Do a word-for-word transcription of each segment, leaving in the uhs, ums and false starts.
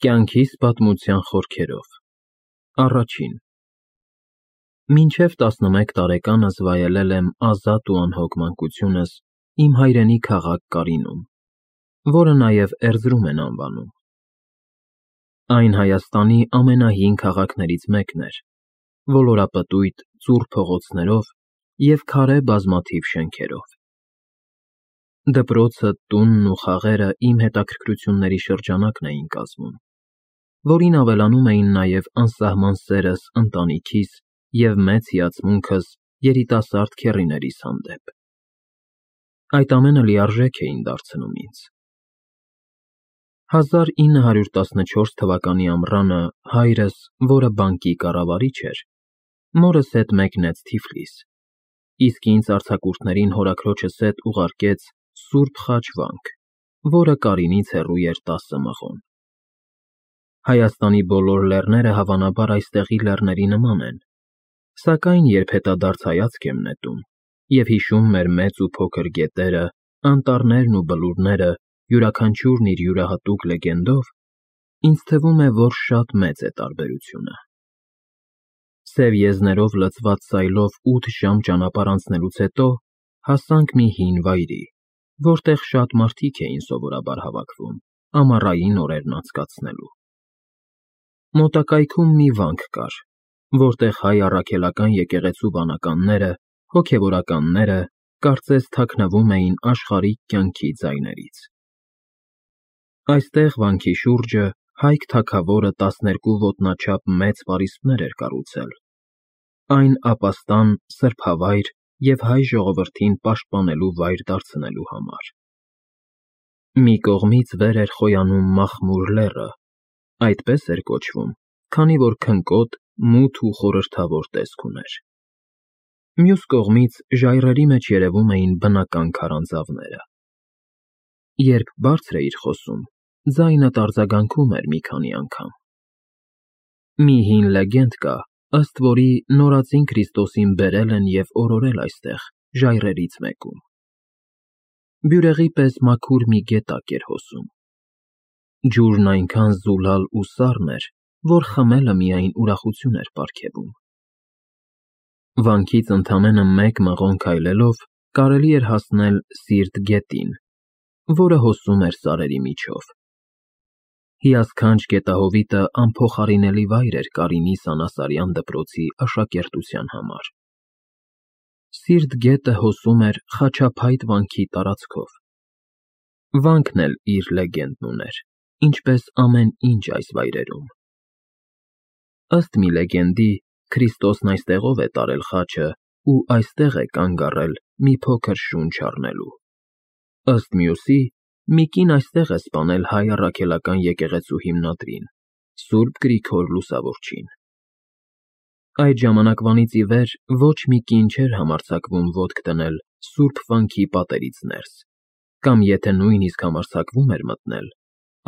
Կյանքիս պատմության խորքերով Առաջին Մինչև տասնմեկ տարեկանս վայելել եմ ազատ ու անհոգ մանկությունս իմ հայրենի քաղաք Կարինում, որը նաև Էրզրում են անվանում։ Այն Հայաստանի ամենահին քաղաքներից մեկն էր, ոլորապտույտ, ծուռ փողոցներով և քարե բազմաթիվ շենքերով։ Դպրոցը, տունն ու խաղերը իմ հետաքրքրությունների շրջանակն էին կազմում, որին ավելանում էին նաև անսահման սերս ընտանիքիս և մեծ հիացմունքս երիտասարդ քեռիներիս հանդեպ։ Այդ ամենը լիարժեք էին դարձնում ինձ։ հազար ինը հարյուր տասնչորս թվականի ամռանը հայրս, որը բանկի կառավարիչ էր, մորս հետ մեկնեց Թիֆլիս, իսկ ինձ արձակուրդներին հորաքրոջս հետ ուղարկեց Սուրբ Խաչ վանք, որը Կարինից հեռու էր տասը մղոն։ Հայաստանի բոլոր լեռները հավանաբար այստեղի լեռների նման են, սակայն երբ հետադարձ հայացք եմ նետում և հիշում մեր մեծ ու փոքր գետերը, անտառներն ու բլուրները, յուրաքանչյուրն իր յուրահատուկ լեգենդով, ինձ թվում է, որ շատ մեծ է տարբերությունը։ Սև եզներով լցված սայլով ութ ժամ ճանապարհ անցնելուց հետո հասանք մի հին վայրի, որտեղ շատ մարդիկ էին սովորաբար հավաքվում ամառային օրերն անցկացնելու։ Մոտակայքում մի վանք կար, որտեղ հայ առաքելական եկեղեցու վանականները, հոգևորականները կարծես թաքնվում էին աշխարհիկ կյանքի ձայներից։ Այստեղ վանքի շուրջը Հայք թագավորը տասներկու ոտնաչափ մեծ պարիսպներ էր կառուցել, այն ապաստան, սրբավայր և հայ ժողովրդին պաշտպանելու վայր դարձնելու համար։ Մի կողմից վեր էր խոյանում Մախմուր լեռը, այդպես էր կոչվում, քանի որ քնկոտ, մութ ու խորհրդավոր տեսք ուներ։ Մյուս կողմից ժայռերի մեջ երևում էին բնական քարանձավները։ Երբ բարձր էիր խոսում, ձայնդ արձագանքում էր մի քանի անգամ։ Մի հին լեգենդ կա, ըստ որի նորածին Քրիստոսին բերել են և օրորել այստեղ, ժայռերից մեկում։ Բյուրեղի պես մաքուր մի գետակ էր հոսում։ Ջուրն այնքան զուլալ ու սառն էր, որ խմելը միայն ուրախություն էր պարգևում։ Վանքից ընդամենը մեկ մղոն քայլելով կարելի էր հասնել Սիրտ գետին, որը հոսում էր սարերի միջով։ Հիասքանչ գետահովիտը անփոխարինելի վայր էր Կարինի Սանասարյան դպրոցի աշակերտության համար։ Սիրտ գետը հոսում էր Խաչափայտ վանքի տարածքով։ Վանքն էլ իր լեգենդն ուներ, ինչպես ամեն ինչ այս վայրերում։ Ըստ մի լեգենդի, Քրիստոսն այստեղով է տարել խաչը ու այստեղ է կանգ առել մի փոքր շունչ առնելու։ Ըստ մյուսի, մի կին այստեղ է սպանել հայ առաքելական եկեղեցու հիմնադրին, Սուրբ Գրիգոր Լուսավորչին։ Այդ ժամանակվանից ի վեր ոչ մի կին չէր համարձակվում ոտք դնել սուրբ վանքի պատերից ներս, կամ եթե նույնիսկ համարձակվում էր մտնել,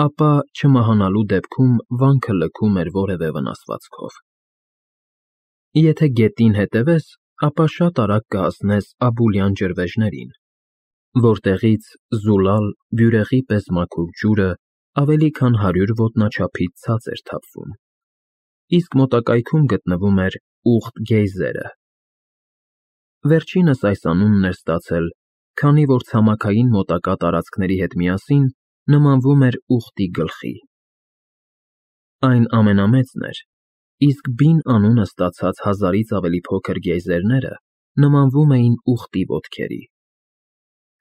ապա չմահանալու դեպքում վանքը լքում էր որևէ վնասվածքով։ Եթե գետին հետևես, ապա շատ արագ կհասնես Աբուլյան ջրվեժներին, որտեղից զուլալ, բյուրեղի պես մաքուր ջուրը ավելի քան հարյուր ոտնաչափից ցած էր թափվում, իսկ մոտակայքում գտնվում էր Ուղտ գեյզերը։ Վերջինս այս անունն էր ստացել, քանի որ ցամաքային մոտակա տարածքների հետ միասին նմանվում էր Ուղտի գլխի։ Այն ամենամեծն էր, իսկ բին անունը ստացած հազարից ավելի փոքր գեյզերները նմանվում էին ուղտի ոտքերի։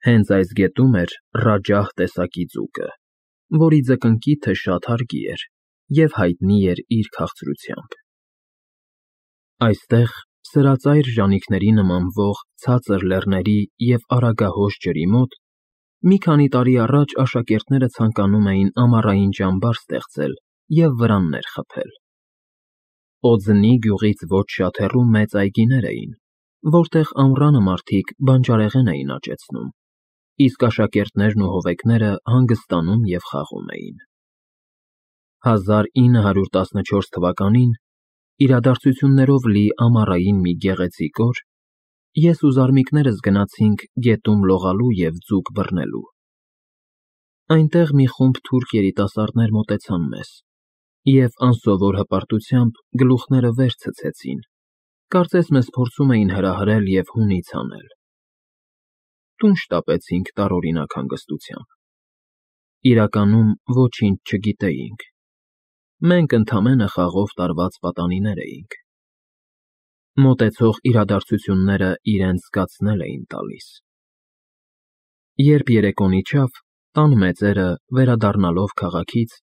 Հենց այս գետում էր Ռաջահ տեսակի ձուկը, որի ձկնկիթը շատ հարգի էր և հայտնի էր իր քաղցրությամբ։ Այստեղ, սրածայր ժանիքների նմանվող ցածր լեռների և արագահոս ջրի մոտ, մի քանի տարի առաջ աշակերտները ցանկանում էին ամառային ճամբար ստեղծել և վրաններ խփել։ Օձնի գյուղից ոչ շատ հեռու մեծ այգիներ էին, որտեղ ամռանը մարդիկ բանջարեղեն էին աճեցնում, իսկ աշակերտներն ու հովեկները հանգստանում և խաղում էին։ հազար ինը հարյուր տասնչորս թվականին, իրադարձություններով լի ամառային մի գեղեցիկ օր, ես ու զարմիկներս գնացինք գետում լողալու և ձուկ բռնելու։ Այնտեղ մի խումբ թուրք երիտասարդներ մոտեցան մեզ Եվ անսովոր հպարտությամբ գլուխները վեր ցցեցին, կարծես մեզ փորձում էին հրահրել և հունից հանել։ Տուն շտապեցինք տարօրինակ հանգստությամբ։ Իրականում ոչինչ չգիտեինք։ Մենք ընդամենը խաղով տարված պատանիներ էինք։ Մոտեցող իրադարձությունները իրենց զգացնել էին տալիս։ Երբ երեկոն իջավ, տան մեծերը, վերադառնալով քաղաքից,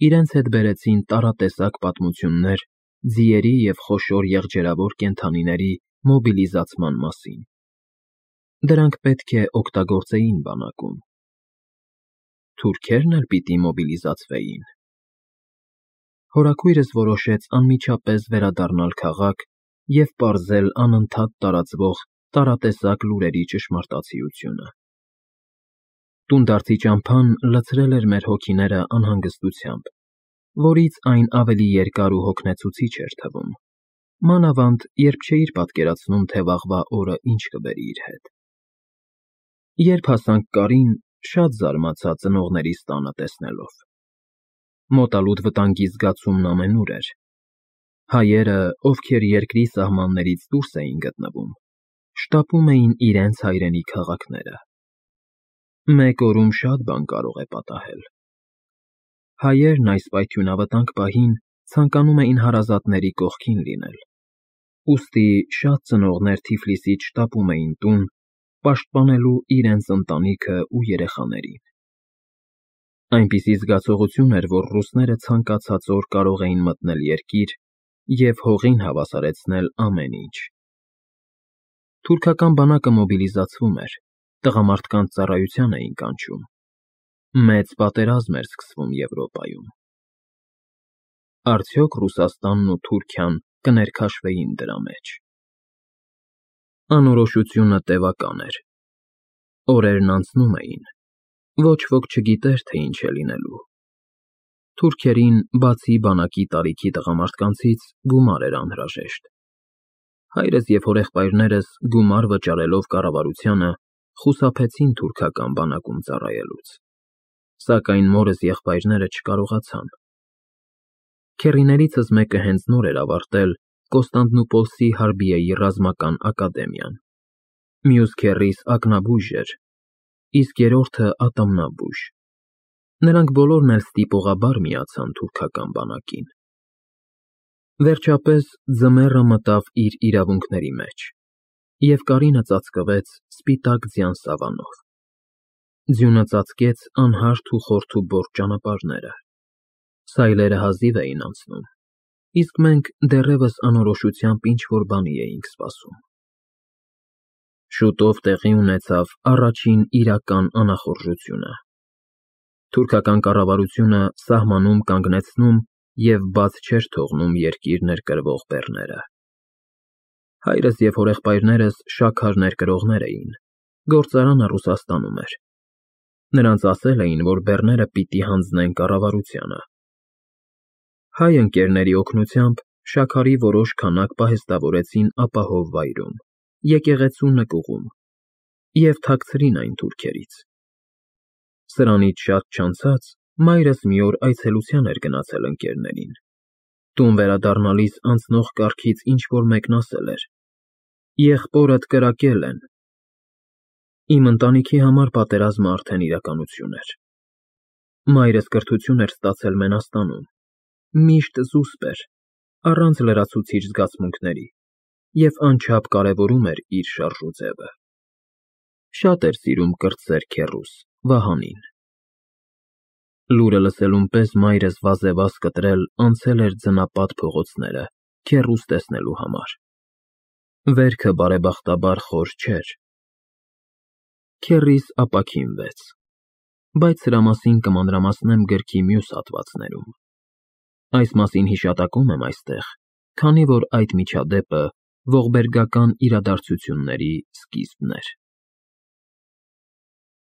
իրենց հետ բերեցին տարատեսակ պատմություններ ձիերի և խոշոր եղջերավոր կենդանիների մոբիլիզացման մասին։ Դրանք պետք է օգտագործեին բանակում։ Թուրքե՞ռն էլ պիտի մոբիլիզացվեին։ Հորաքույրս որոշեց անմիջապես վերադառնալ քաղաք և պարզել անընդհատ տարածվող տարատեսակ լուրերի ճշմարտացիությունը։ Տունդարձի ճամփան լցրել էր մեր հոգիները անհանգստությամբ, որից այն ավելի երկար ու հոգնեցուցիչ էր թվում, մանավանդ երբ չէիր պատկերացնում, թե վաղվա օրը ինչ կբերի իր հետ։ Երբ հասանք Կարին, շատ զարմացա ծնողներիս տանը տեսնելով։ Մոտալուտ վտանգի զգացումն ամենուր էր։ Հայերը, ովքեր երկրի սահմաններից դուրս էին գտնվում, շտապում էին իրենց հայրենի քաղաքները։ Մեկ օրում շատ բան կարող է պատահել։ Հայերն այս պայթյունավտանգ պահին ցանկանում էին հարազատների կողքին լինել, ուստի շատ ծնողներ Թիֆլիսից շտապում էին տուն, պաշտպանելու իրենց ընտանիքը ու երեխաներին։ Այնպիսի զգացողություն էր, որ ռուսները ցանկացած օր կարող էին մտնել երկիր և հողին հավասարեցնել ամեն ինչ։ Թուրքական բանակը մոբիլիզացվում էր, տղամարդկանց ծառայության էին կանչում։ Մեծ պատերազմ էր սկսվում Եվրոպայում։ Արդյոք Ռուսաստանն ու Թուրքիան կներքաշվեին դրա մեջ։ Անորոշությունը տևական էր։ Օրերն անցնում էին։ Ոչ ոք չգիտեր, թե ինչ է լինելու։ Թուրքերին, բացի բանակի տարիքի տղամարդկանցից, գումար էր անհրաժեշտ։ Հայրս և հորեղբայրներս, գումար վճարելով կառավարությանը, խուսափեցին թուրքական բանակում ծառայելուց։ Սակայն մորս եղբայրները չկարողացան։ Քեռիներիցս մեկը հենց նոր էր ավարտել Կոստանդնուպոլսի Հարբիեի ռազմական ակադեմիան։ Մյուս քեռիս ակնաբույժ էր, իսկ երրորդը ատամնաբույժ։ Նրանք բոլորն էլ ստիպողաբար միացան թուրքական բանակին։ Վերջապես ձմեռը մտավ իր իրավունքների մեջ, և Կարինը ծածկվեց սպիտակ ձյան սավանով։ Ձյունը ծածկեց անհարթ ու խորթուբորտ ճանապարհները։ Սայլերը հազիվ էին անցնում, իսկ մենք դեռևս անորոշությամբ ինչ-որ բանի էինք սպասում։ Շուտով տեղի ունեցավ առաջին իրական անախորժությունը։ Թուրքական կառավարությունը սահմանում կանգնեցնում և բաց չէր թողնում երկիր ներկրվող բեռները։ Հայրս և հորեղբայրներս շաքար ներկրողներ էին, գործարանը Ռուսաստանում էր։ Նրանց ասել էին, որ բեռները պիտի հանձնեն կառավարությանը։ Հայ ընկերների օգնությամբ շաքարի որոշ քանակ պահեստավորեցին ապահով վայրում, եկեղեցու նկուղում, և թաքցրին այն թուրքերից։ Սրանից շատ չանցած մայրս մի օր այցելության էր գնացել ընկերներին։ Տուն վերադառնալիս անցնող կառքից ինչ֊որ մեկն ասել էր. «Եղբորդ կրակել են»։ Իմ ընտանիքի համար պատերազմը արդեն իրականություն էր։ Մայրս կրթություն էր ստացել Մենաստանում, միշտ զուսպ էր, առանց լրացուցիչ զգացմունքների, և անչափ կարևորում էր իր շարժուձևը։ Շատ էր սիրում կրտսեր քեռուս՝ Վահանին։ Լուրը լսելուն պես մայրս վազեվազ կտրել անցել էր ձնապատ փողոցները քեռուս տեսնելու համար։ Վերքը բարեբախտաբար խոր չէր։ Քեռիս ապաքինվեց, բայց սրա մասին կմանրամասնեմ գրքի մյուս հատվածներում։ Այս մասին հիշատակում եմ այստեղ, քանի որ այդ միջադեպը ողբերգական իրադարձությունների սկիզբն էր։